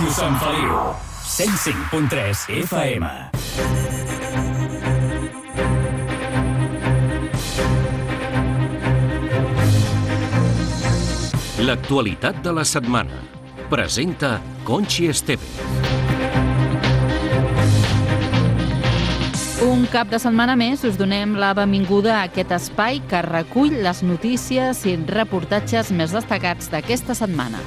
Ràdio Sant Feliu, 105.3 FM. L'actualitat de la setmana. Presenta Conchi Esteve. Un cap de setmana més us donem la benvinguda a aquest espai que recull les notícies i reportatges més destacats d'aquesta setmana.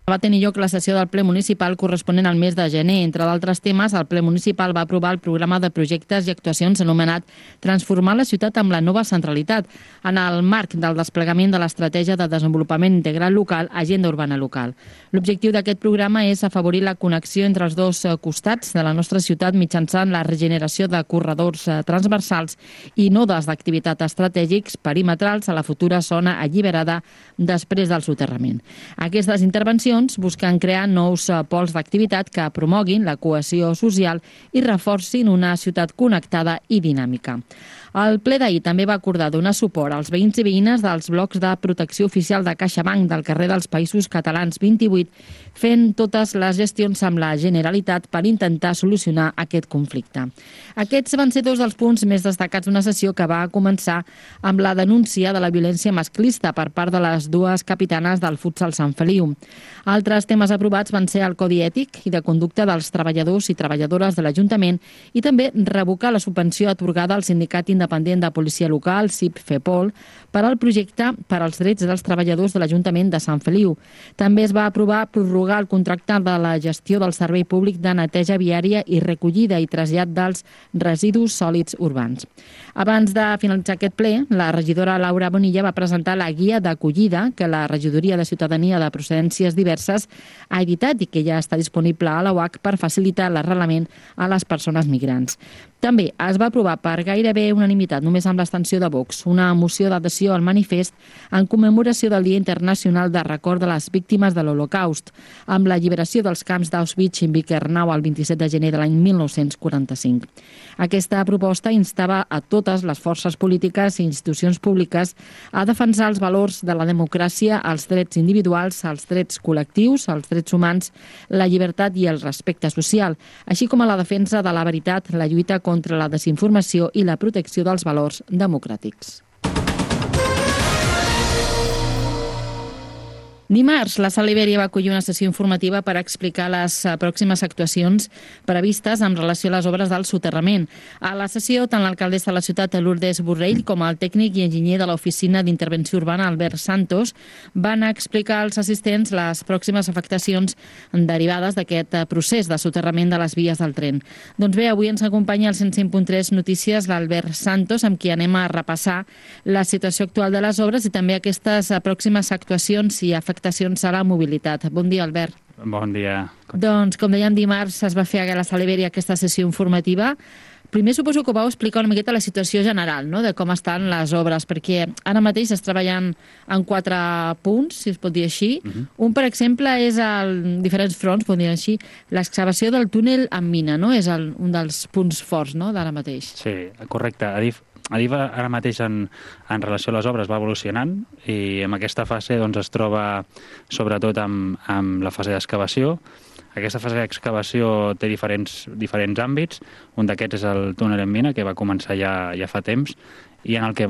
Va tenir lloc la sessió del ple municipal corresponent al mes de gener. Entre d'altres temes, el ple municipal va aprovar el programa de projectes i actuacions anomenat Transformar la ciutat amb la nova centralitat, en el marc del desplegament de l'estratègia de desenvolupament integral local, Agenda Urbana Local. L'objectiu d'aquest programa és afavorir la connexió entre els dos costats de la nostra ciutat mitjançant la regeneració de corredors transversals i nodes d'activitat estratègics perimetrals a la futura zona alliberada després del soterrament. Aquestes intervencions busquen crear nous pols d'activitat que promoguin la cohesió social i reforcin una ciutat connectada i dinàmica. El ple d'ahir també va acordar donar suport als veïns i veïnes dels blocs de protecció oficial de CaixaBank del carrer dels Països Catalans 28, fent totes les gestions amb la Generalitat per intentar solucionar aquest conflicte. Aquests van ser dos dels punts més destacats d'una sessió que va començar amb la denúncia de la violència masclista per part de les dues capitanes del futsal Sant Feliu. Altres temes aprovats van ser el Codi Ètic i de Conducta dels treballadors i treballadores de l'Ajuntament i també revocar la subvenció atorgada al Sindicat Independent de Policia Local, SIP-FEPOL, per al projecte per als drets dels treballadors de l'Ajuntament de Sant Feliu. També es va aprovar prorrogar el contracte de la gestió del Servei Públic de Neteja Viària i recollida i trasllat dels residus sòlids urbans. Abans de finalitzar aquest ple, la regidora Laura Bonilla va presentar la guia d'acollida que la Regidoria de Ciutadania de Procedències Diverses ha editat i que ja està disponible a la UAC per facilitar l'arrelament a les persones migrants. També es va aprovar per gairebé unanimitat, només amb l'abstenció de Vox, una moció d'adhesió al manifest en commemoració del Dia Internacional de Record de les Víctimes de l'Holocaust, amb l'alliberació dels camps d'Auschwitz i Birkenau el 27 de gener de l'any 1945. Aquesta proposta instava a totes les forces polítiques i institucions públiques a defensar els valors de la democràcia, els drets individuals, els drets col·lectius, els drets humans, la llibertat i el respecte social, així com a la defensa de la veritat, la lluita contra la desinformació i la protecció dels valors democràtics. Dimarts, la Sala Ibèria va acollir una sessió informativa per explicar les pròximes actuacions previstes en relació a les obres del soterrament. A la sessió, tant l'alcaldessa de la ciutat, Lourdes Borrell, com el tècnic i enginyer de l'Oficina d'Intervenció Urbana, Albert Santos, van explicar als assistents les pròximes afectacions derivades d'aquest procés de soterrament de les vies del tren. Doncs bé, avui ens acompanya al 105.3 Notícies l'Albert Santos, amb qui anem a repassar la situació actual de les obres i també aquestes pròximes actuacions i afectacions a la mobilitat. Bon dia, Albert. Bon dia. Doncs, com dèiem, dimarts es va fer a la Sala Ibèria aquesta sessió informativa. Primer suposo que vau explicar una miqueta la situació general, no?, de com estan les obres, perquè ara mateix es treballant en 4 punts, si es pot dir així. Un, per exemple, és diferents fronts, pot dir així, l'excavació del túnel amb mina, no?, és un dels punts forts, no?, d'ara mateix. Sí, correcte. Adif ara mateix en relació a les obres va evolucionant i en aquesta fase doncs, es troba sobretot amb la fase d'excavació. Aquesta fase d'excavació té diferents àmbits. Un d'aquests és el túnel en mina, que va començar ja fa temps i en el que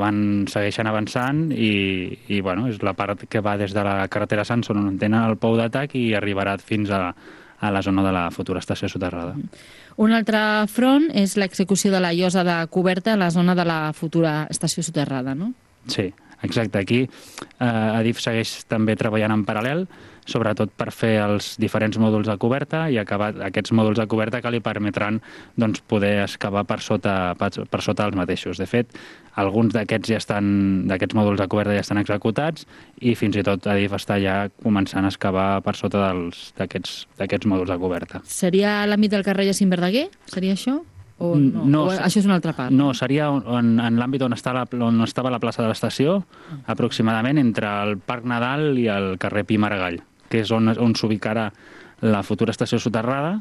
segueixen avançant i bueno, és la part que va des de la carretera Sanson on tenen el pou d'atac i arribarà fins a la zona de la futura estació soterrada. Un altre front és l'execució de la llosa de coberta a la zona de la futura estació soterrada, no? Sí, exacte. Aquí Adif segueix també treballant en paral·lel, sobretot per fer els diferents mòduls de coberta i acabar aquests mòduls de coberta que li permetran doncs, poder excavar per sota els mateixos. De fet, alguns d'aquests mòduls de coberta ja estan executats i fins i tot Adif està ja començant a excavar per sota d'aquests mòduls de coberta. Seria a l'àmbit del carrer Jacint Verdaguer? Seria això? O no? O això és una altra part? No, seria en l'àmbit on estava la plaça de l'estació, aproximadament entre el Parc Nadal i el carrer Pi Maragall, que és on s'ubicarà la futura estació soterrada,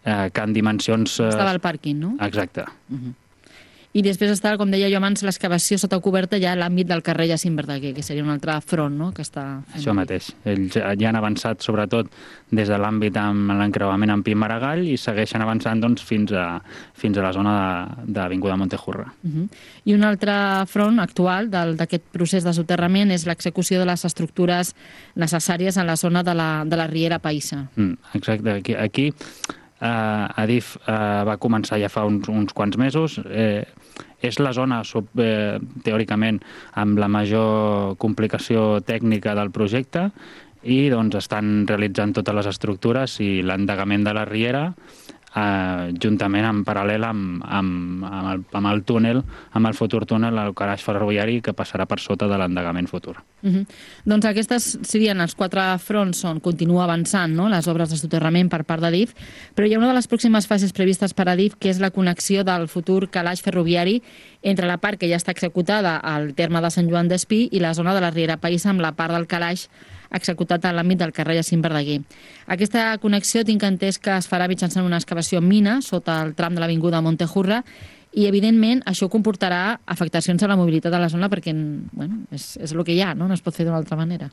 que en dimensions... Estava al pàrquing, no? Exacte. I després està, com deia jo abans, l'excavació sota coberta ja a l'àmbit del carrer Jacint Verdaguer, que seria un altre front, no?, que està fent. Això mateix. Ells ja han avançat, sobretot, des de l'àmbit amb l'encreuament amb Pi Maragall i segueixen avançant doncs, fins a la zona d'Avinguda Montejurra. I un altre front actual d'aquest procés de soterrament és l'execució de les estructures necessàries en la zona de la Riera Païssa. Exacte. Aquí Adif va començar ja fa uns quants mesos. És la zona, teòricament, amb la major complicació tècnica del projecte i doncs, estan realitzant totes les estructures i l'endegament de la Riera juntament en paral·lel amb el túnel, amb el futur túnel, el calaix ferroviari que passarà per sota de l'endegament futur. Doncs aquestes serien els 4 fronts on continua avançant, no?, les obres de soterrament per part d'Adif, però hi ha una de les pròximes fases previstes per Adif, que és la connexió del futur calaix ferroviari entre la part que ja està executada al terme de Sant Joan d'Espí i la zona de la Riera Païssa amb la part del calaix executat a l'àmbit del carrer Jacint Verdaguer. Aquesta connexió tinc entès que es farà mitjançant una excavació en mina sota el tram de l'Avinguda Montejurra i, evidentment, això comportarà afectacions a la mobilitat de la zona perquè és el que hi ha, no es pot fer d'una altra manera.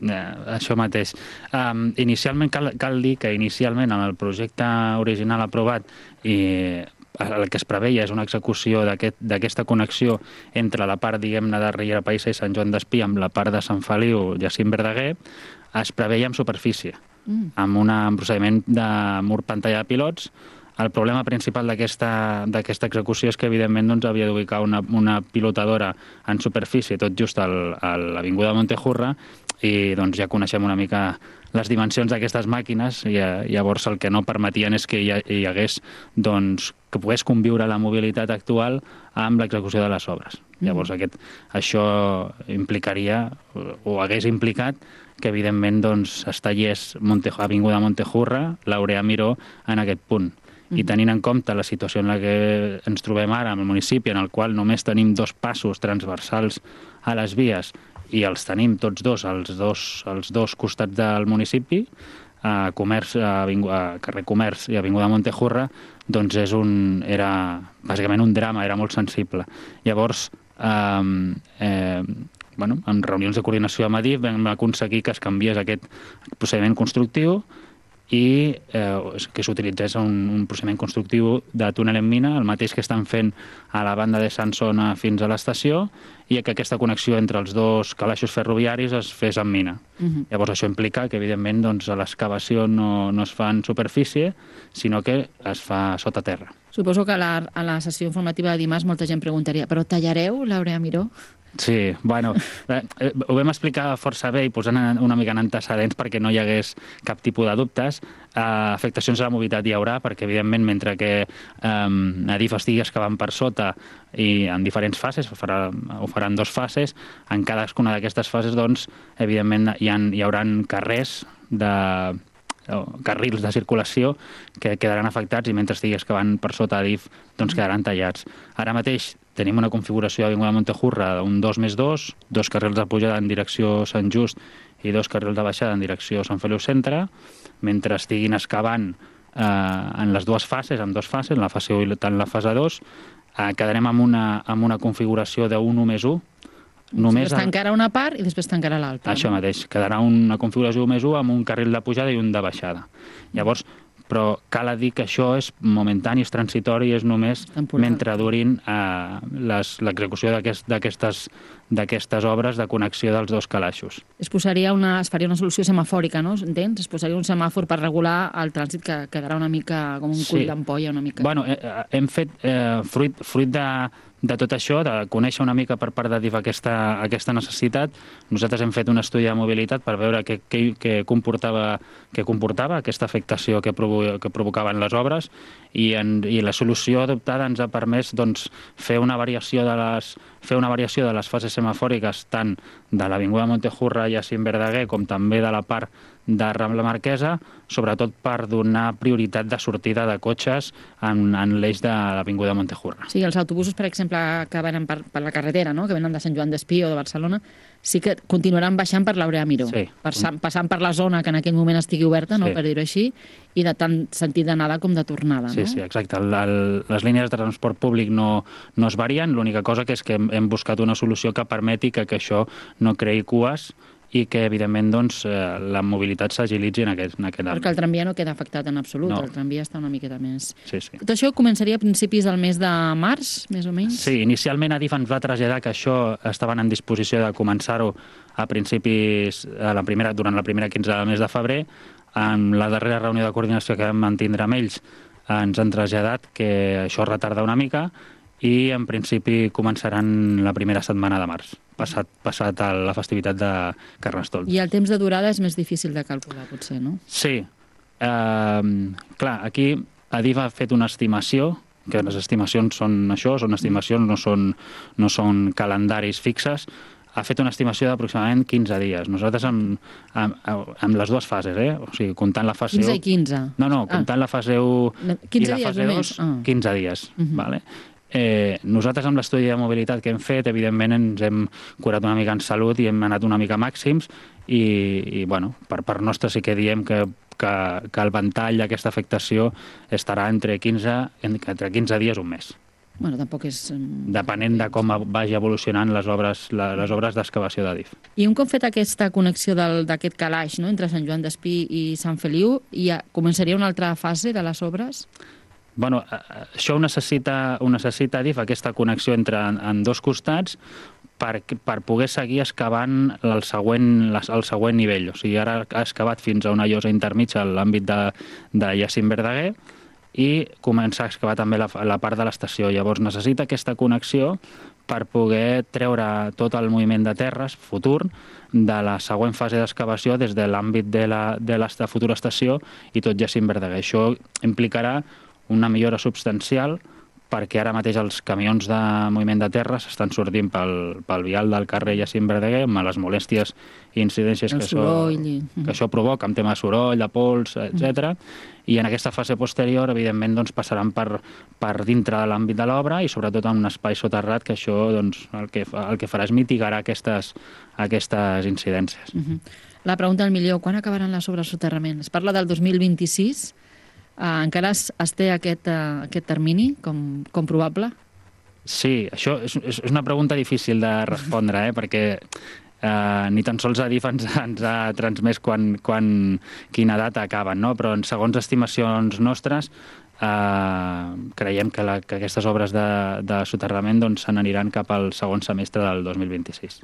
Això mateix. Inicialment, cal dir que inicialment en el projecte original aprovat el que es preveia és una execució d'aquesta connexió entre la part, diguem-ne, de Riera Païssa i Sant Joan d'Espí amb la part de Sant Feliu, Jacint Verdaguer, es preveia en superfície, amb un procediment de mur pantalla de pilots. El problema principal d'aquesta execució és que, evidentment, doncs, havia d'ubicar una pilotadora en superfície, tot just a l'Avinguda Montejurra, i doncs, ja coneixem una mica les dimensions d'aquestes màquines, i llavors el que no permetien és que hi hagués, doncs, que pogués conviure la mobilitat actual amb l'execució de les obres. Llavors això implicaria, o hagués implicat, que evidentment doncs, es tallés Avinguda Montejurra, Laureà Miró, en aquest punt. I tenint en compte la situació en la que ens trobem ara, en el municipi, en el qual només tenim 2 passos transversals a les vies i els tenim tots als dos costats del municipi, carrer Comerç i Avinguda Montejurra, doncs era bàsicament un drama, era molt sensible. Llavors, en reunions de coordinació amb Adif vam aconseguir que es canviés aquest procediment constructiu i que s'utilitzés un procediment constructiu de túnel en mina, el mateix que estan fent a la banda de Sansona fins a l'estació, i que aquesta connexió entre els 2 calaixos ferroviaris es fes en mina. Llavors això implica que, evidentment, l'excavació no es fa en superfície, sinó que es fa sota terra. Suposo que a la sessió informativa de dimarts molta gent preguntaria, però tallareu Laureà Miró? Sí, ho vam explicar força bé i posant una mica en antecedents perquè no hi hagués cap tipus de dubtes. Afectacions a la mobilitat hi haurà perquè, evidentment, mentre que Adif estigui excavant per sota i en diferents fases, ho faran 2 fases, en cadascuna d'aquestes fases, doncs, evidentment, hi haurà carrils de circulació que quedaran afectats i mentre estigui excavant per sota Adif doncs quedaran tallats. Ara mateix tenim una configuració d'Avinguda Montejurra d'un 2+2, 2 carrils de pujada en direcció Sant Just i 2 carrils de baixada en direcció Sant Feliu Centre. Mentre estiguin excavant en les 2 fases, en 2 fases, en la fase 1 i en la fase 2, quedarem amb una configuració de 1+1. Es tancarà una part i després tancarà l'altra. Això mateix, quedarà una configuració 1+1 amb un carril de pujada i un de baixada. Llavors, però cal dir que això és momentani, és transitori, és només mentre durin l'execució d'aquestes obres de connexió dels 2 calaixos. Es faria una solució semafòrica, no? Entens? Es posaria un semàfor per regular el trànsit que quedarà una mica com un cull d'ampolla. Bueno, hem fet, fruit de tot això, de conèixer una mica per part d'Adif aquesta necessitat, nosaltres hem fet un estudi de mobilitat per veure què comportava aquesta afectació que provocaven les obres i la solució adoptada ens ha permès doncs, fer una variació de les fases semafòriques tant de l'Avinguda Montejurra i Jacint Verdaguer com també de la part de Rambla Marquesa, sobretot per donar prioritat de sortida de cotxes en l'eix de l'Avinguda Montejurra. Sí, els autobusos, per exemple, exemple, que venen per la carretera, no?, que venen de Sant Joan d'Espí o de Barcelona, sí que continuaran baixant per l'Aurea Miró, Sí. passant per la zona que en aquell moment estigui oberta, no?, Sí. per dir-ho així, i de tant sentit d'anada com de tornada, no? Sí, exacte. Les línies de transport públic no es varien, l'única cosa que és que hem buscat una solució que permeti que això no creï cues i que, evidentment, doncs, la mobilitat s'agilitzi en aquest àmbit. Perquè el tramvia no queda afectat en absolut, No. el tramvia està una miqueta més... Sí, sí. Tot això començaria a principis del mes de març, més o menys? Sí, inicialment Adif ens va traslladar que això estaven en disposició de començar-ho a principis, durant la primera quinzena del mes de febrer. En la darrera reunió de coordinació que vam mantindre amb ells ens han traslladat que això retarda una mica i en principi començaran la primera setmana de març, passat la festivitat de Carnestoltes. I el temps de durada és més difícil de calcular, potser, no? Sí. Clar, aquí Adif ha fet una estimació, que les estimacions són això, són estimacions, no són calendaris fixes. Ha fet una estimació d'aproximadament 15 dies. Nosaltres amb les dues fases, o sigui, comptant la fase 15 1... i 15? No, comptant la fase 1 i la fase 2, 15 dies. Vale? Nosaltres amb l'estudi de mobilitat que hem fet, evidentment ens hem curat una mica en salut i hem anat una mica màxims i bueno, per nostre sí que diem que el ventall d'aquesta afectació estarà entre 15 dies un mes. Bueno, tampoc és... Depenent de com vagi evolucionant les obres d'excavació d'Adif. I un cop fet aquesta connexió d'aquest calaix, no?, entre Sant Joan d'Espí i Sant Feliu, començaria una altra fase de les obres? Bueno, això ho necessita Adif, aquesta connexió en dos costats, per poder seguir excavant el següent nivell. O sigui, ara ha excavat fins a una llosa intermitja a l'àmbit de Jacint Verdaguer i comença a excavar també la part de l'estació. Llavors necessita aquesta connexió per poder treure tot el moviment de terres futur de la següent fase d'excavació des de l'àmbit de la futura estació i tot Jacint Verdaguer. Això implicarà una millora substancial perquè ara mateix els camions de moviment de terres estan sortint pel vial del carrer Jacint Verdaguer amb les molèsties i incidències que això provoca, amb tema de soroll, de pols, etc. I en aquesta fase posterior, evidentment, doncs, passaran per dintre de l'àmbit de l'obra i sobretot en un espai soterrat que això doncs, el que farà és mitigar aquestes incidències. La pregunta del milió, quan acabaran les obres de soterrament? Es parla del 2026. Encara es té aquest termini com probable? Sí, això és una pregunta difícil de respondre, perquè ni tan sols Adif ens ha transmès quina data acaben, no? Però segons estimacions nostres creiem que aquestes obres de soterrament se n'aniran cap al segon semestre del 2026.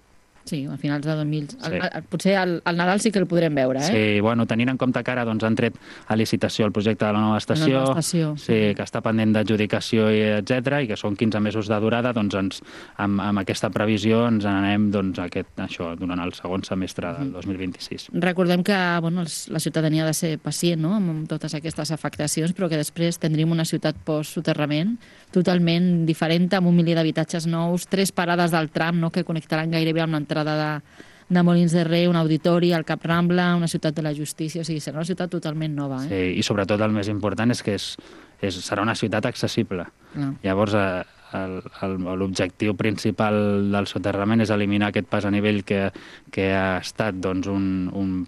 Sí, a finals de 2000... Sí. Potser al Nadal sí que el podrem veure, Sí, bueno, tenint en compte que ara han tret a licitació el projecte de la nova estació, sí, que està pendent d'adjudicació, etc i que són 15 mesos de durada, doncs amb aquesta previsió ens n'anem durant el segon semestre del 2026. Recordem que la ciutadania ha de ser pacient, no?, amb totes aquestes afectacions, però que després tindríem una ciutat post-soterrament totalment diferent, amb 1 milió d'habitatges nous, 3 parades del tram, no?, que connectaran gairebé amb l'entrada de Molins de Rei, un auditori, el Cap Rambla, una ciutat de la justícia, o sigui, serà una ciutat totalment nova. Sí, i sobretot el més important és que serà una ciutat accessible. Llavors, l'objectiu principal del soterrament és eliminar aquest pas a nivell que ha estat un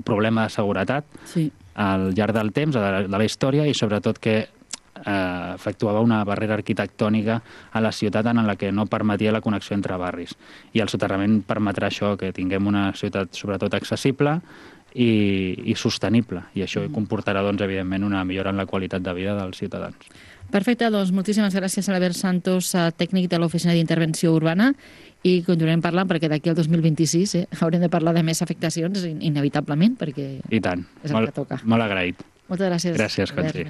problema de seguretat al llarg del temps, de la història, i sobretot que efectuava una barrera arquitectònica a la ciutat en la que no permetia la connexió entre barris. I el soterrament permetrà això, que tinguem una ciutat sobretot accessible i sostenible. I això comportarà, evidentment, una millora en la qualitat de vida dels ciutadans. Perfecte, doncs moltíssimes gràcies a Albert Santos, tècnic de l'Oficina d'Intervenció Urbana, i continuarem parlant perquè d'aquí al 2026 haurem de parlar de més afectacions, inevitablement, perquè I tant. És el que toca. Molt agraït. Moltes gràcies. Gràcies, Conchi.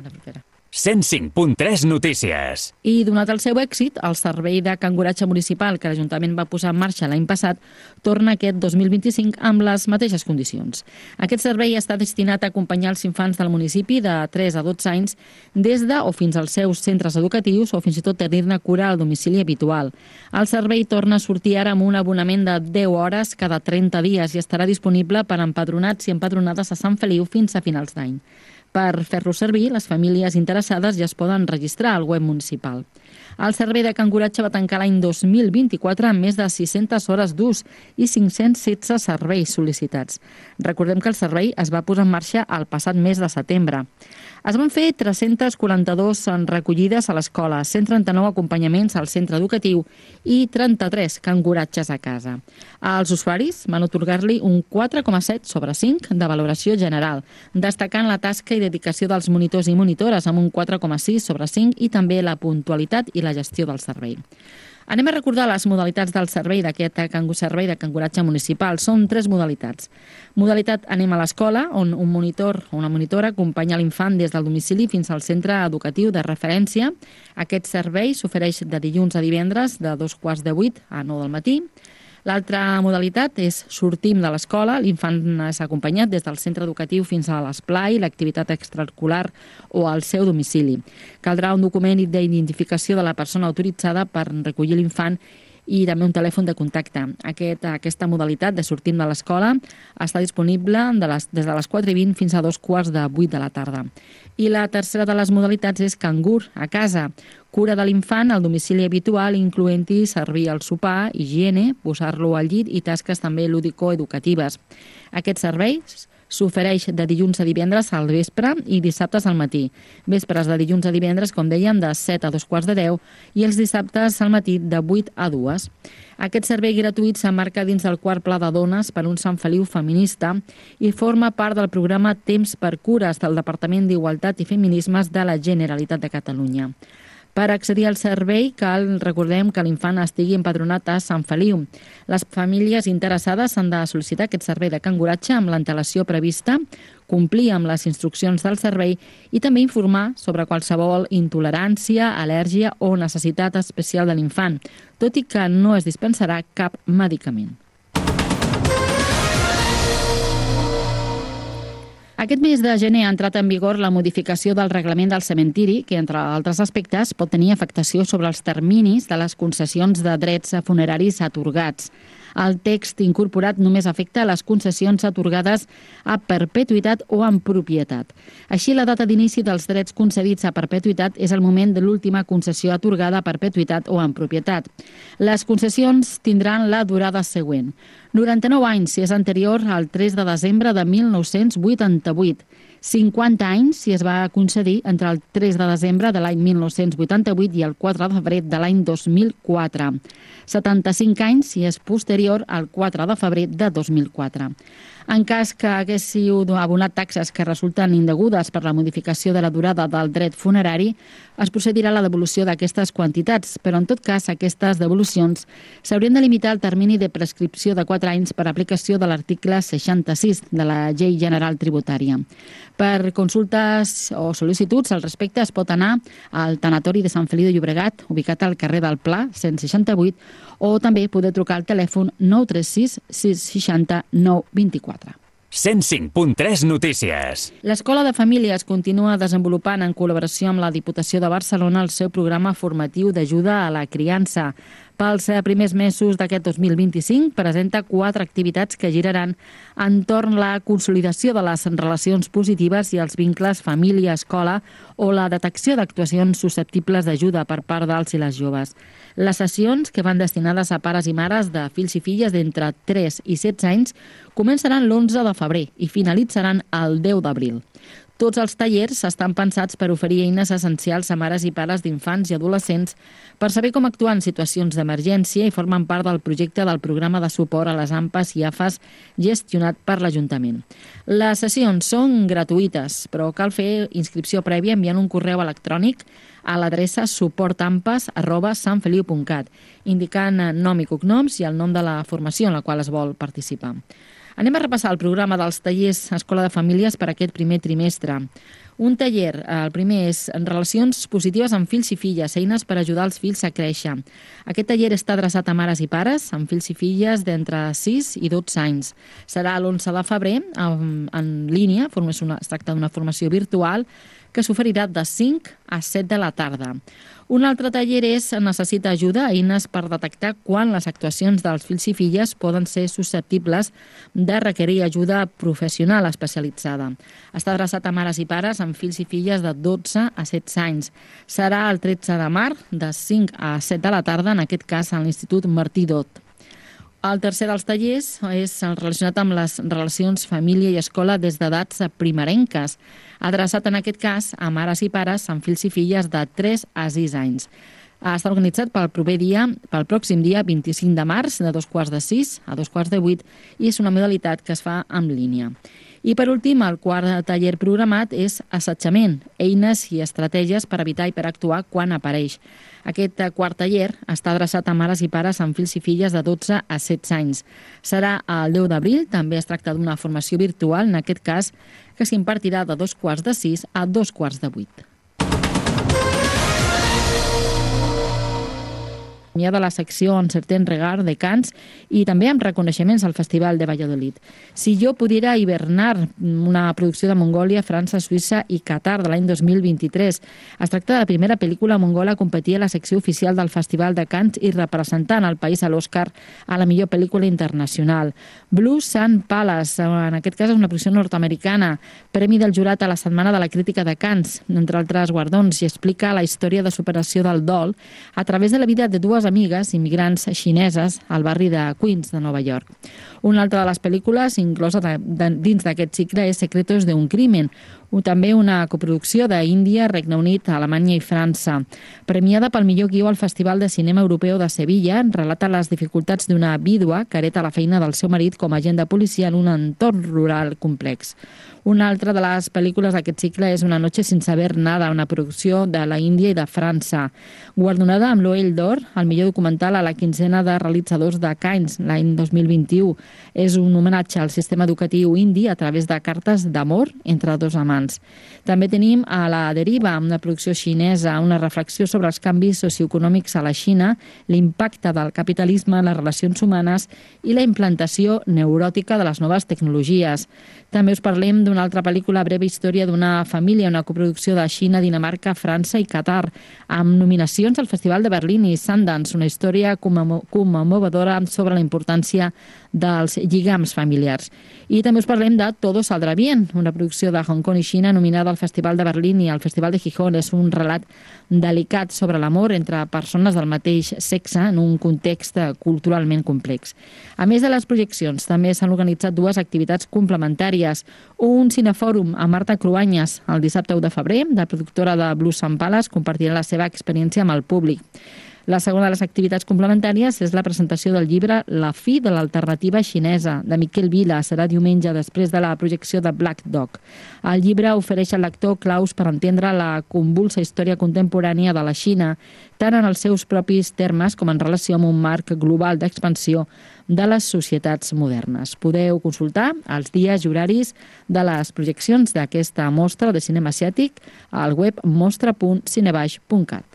105.3 Notícies. I donat el seu èxit, el servei de canguratge municipal que l'Ajuntament va posar en marxa l'any passat torna aquest 2025 amb les mateixes condicions. Aquest servei està destinat a acompanyar els infants del municipi de 3 a 12 anys des de o fins als seus centres educatius o fins i tot tenir-ne cura al domicili habitual. El servei torna a sortir ara amb un abonament de 10 hores cada 30 dies i estarà disponible per a empadronats i empadronades a Sant Feliu fins a finals d'any. Per fer-lo servir, les famílies interessades ja es poden registrar al web municipal. El servei de canguratge va tancar l'any 2024 amb més de 600 hores d'ús i 516 serveis sol·licitats. Recordem que el servei es va posar en marxa el passat mes de setembre. Es van fer 342 recollides a l'escola, 139 acompanyaments al centre educatiu i 33 canguratges a casa. Els usuaris van atorgar-li un 4,7 sobre 5 de valoració general, destacant la tasca i dedicació dels monitors i monitores amb un 4,6 sobre 5 i també la puntualitat i la gestió del servei. Anem a recordar les modalitats del servei d'aquest servei de canguratge municipal. Són 3 modalitats. Modalitat Anem a l'escola, on un monitor o una monitora acompanya l'infant des del domicili fins al centre educatiu de referència. Aquest servei s'ofereix de dilluns a divendres de 7:15 a 9 del matí. L'altra modalitat és Sortim de l'escola. L'infant és acompanyat des del centre educatiu fins a l'esplai, l'activitat extraescolar o al seu domicili. Caldrà un document d'identificació de la persona autoritzada per recollir l'infant i també un telèfon de contacte. Aquesta modalitat de Sortim de l'escola està disponible des de les 4:20 fins a 2:15 de la tarda. I la tercera de les modalitats és Cangur a casa, cura de l'infant al domicili habitual, incloent-hi servir el sopar, higiene, posar-lo al llit i tasques també lúdico-educatives. Aquests serveis s'ofereix de dilluns a divendres al vespre i dissabtes al matí. Vespres de dilluns a divendres, com dèiem, de 7 a 2:15 i els dissabtes al matí de 8 a 2. Aquest servei gratuït s'emmarca dins del quart pla de dones per un Sant Feliu feminista i forma part del programa Temps per Cures del Departament d'Igualtat i Feminismes de la Generalitat de Catalunya. Per accedir al servei recordem que l'infant estigui empadronat a Sant Feliu. Les famílies interessades han de sol·licitar aquest servei de canguratge amb l'antelació prevista, complir amb les instruccions del servei i també informar sobre qualsevol intolerància, al·lèrgia o necessitat especial de l'infant, tot i que no es dispensarà cap medicament. Aquest mes de gener ha entrat en vigor la modificació del reglament del cementiri, que, entre altres aspectes, pot tenir afectació sobre els terminis de les concessions de drets funeraris atorgats. El text incorporat només afecta les concessions atorgades a perpetuïtat o en propietat. Així, la data d'inici dels drets concedits a perpetuïtat és el moment de l'última concessió atorgada a perpetuïtat o en propietat. Les concessions tindran la durada següent: 99 anys si és anterior al 3 de desembre de 1988, 50 anys si es va concedir entre el 3 de desembre de l'any 1988 i el 4 de febrer de l'any 2004, 75 anys si és posterior al 4 de febrer de 2004. En cas que haguéssiu abonat taxes que resulten indegudes per la modificació de la durada del dret funerari, es procedirà a la devolució d'aquestes quantitats, però en tot cas aquestes devolucions s'haurien de limitar al termini de prescripció de 4 anys per aplicació de l'article 66 de la Llei General Tributària. Per consultes o sol·licituds al respecte es pot anar al tanatori de Sant Feliu de Llobregat, ubicat al carrer del Pla, 168, o també poder trucar al telèfon 936 660 924. 105.3 Notícies. L'Escola de Famílies continua desenvolupant en col·laboració amb la Diputació de Barcelona el seu programa formatiu d'ajuda a la criança. Pels primers mesos d'aquest 2025 presenta 4 activitats que giraran entorn la consolidació de les relacions positives i els vincles família-escola o la detecció d'actuacions susceptibles d'ajuda per part dels i les joves. Les sessions, que van destinades a pares i mares de fills i filles d'entre 3 i 16 anys, començaran l'11 de febrer i finalitzaran el 10 d'abril. Tots els tallers estan pensats per oferir eines essencials a mares i pares d'infants i adolescents per saber com actuar en situacions d'emergència i formen part del projecte del programa de suport a les AMPAs i AFAs gestionat per l'Ajuntament. Les sessions són gratuïtes, però cal fer inscripció prèvia enviant un correu electrònic a l'adreça suportampes@santfeliu.cat, indicant nom i cognoms i el nom de la formació en la qual es vol participar. Anem a repassar el programa dels tallers Escola de Famílies per aquest primer trimestre. Un taller, el primer és en relacions positives amb fills i filles, eines per ajudar els fills a créixer. Aquest taller està adreçat a mares i pares amb fills i filles d'entre 6 i 12 anys. Serà l'11 de febrer en línia, es tracta d'una formació virtual, que s'oferirà de 5 a 7 de la tarda. Un altre taller és necessita ajuda, eines per detectar quan les actuacions dels fills i filles poden ser susceptibles de requerir ajuda professional especialitzada. Està adreçat a mares i pares amb fills i filles de 12 a 16 anys. Serà el 13 de març, de 5 a 7 de la tarda, en aquest cas a l'Institut Martí Dot. El tercer dels tallers és relacionat amb les relacions família i escola des d'edats primerenques, adreçat en aquest cas a mares i pares amb fills i filles de 3 a 6 anys. Està organitzat pel pròxim dia 25 de març, de 2:45 a 2:45, i és una modalitat que es fa en línia. I per últim, el quart taller programat és assetjament, eines i estratègies per evitar i per actuar quan apareix. Aquest quart taller està adreçat a mares i pares amb fills i filles de 12 a 16 anys. Serà el 10 d'abril, també es tracta d'una formació virtual, en aquest cas, que s'impartirà de 2:45 a 2:45. Hi ha de la secció En certain regard de Cants i també amb reconeixements al Festival de Valladolid. Si jo pudiera hivernar, una producció de Mongòlia, França, Suïssa i Qatar de l'any 2023. Es tracta de la primera pel·lícula mongola a competir a la secció oficial del Festival de Cants i representant el país a l'Oscar a la millor pel·lícula internacional. Blue Sun Palace, en aquest cas és una producció nord-americana, premi del jurat a la Setmana de la Crítica de Cants, entre altres guardons, i explica la història de superació del dol a través de la vida de dues amigues immigrants xineses al barri de Queens, de Nova York. Una altra de les pel·lícules inclosa dins d'aquest cicle és Secretos de un crimen, també una coproducció d'Índia, Regne Unit, Alemanya i França. Premiada pel millor guió al Festival de Cinema Europeu de Sevilla, relata les dificultats d'una vídua que hereta la feina del seu marit com a agent de policia en un entorn rural complex. Una altra de les pel·lícules d'aquest cicle és Una noche sin saber nada, una producció de la Índia i de França. Guardonada amb l'Oell d'Or, el millor documental a la quinzena de realitzadors de Cannes l'any 2021. És un homenatge al sistema educatiu indi a través de cartes d'amor entre dos amants. També tenim A la deriva, una producció xinesa, una reflexió sobre els canvis socioeconòmics a la Xina, l'impacte del capitalisme en les relacions humanes i la implantació neuròtica de les noves tecnologies. També us parlem d'una altra pel·lícula, Breve història d'una família, una coproducció de Xina, Dinamarca, França i Qatar, amb nominacions al Festival de Berlín i Sundance, una història commemoradora sobre la importància dels lligams familiars. I també us parlem de Todo saldrá bien, una producció de Hong Kong i Xina nominada al Festival de Berlín i al Festival de Gijón. És un relat delicat sobre l'amor entre persones del mateix sexe en un context culturalment complex. A més de les projeccions, també s'han organitzat dues activitats complementàries. Un cinefòrum a Marta Cruanyes el dissabte 1 de febrer, la productora de Blue Sun Palace, compartirà la seva experiència amb el públic. La segona de les activitats complementàries és la presentació del llibre La fi de l'alternativa xinesa, de Miquel Vila. Serà diumenge després de la projecció de Black Dog. El llibre ofereix al lector claus per entendre la convulsa història contemporània de la Xina, tant en els seus propis termes com en relació amb un marc global d'expansió de les societats modernes. Podeu consultar els dies i horaris de les projeccions d'aquesta mostra de cinema asiàtic al web mostra.cinebaix.cat.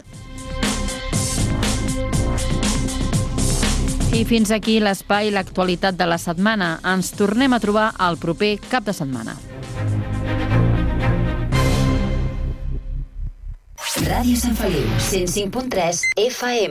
I fins aquí l'espai L'actualitat de la setmana. Ens tornem a trobar el proper cap de setmana. Ràdio Sant Feliu, 105.3 FM.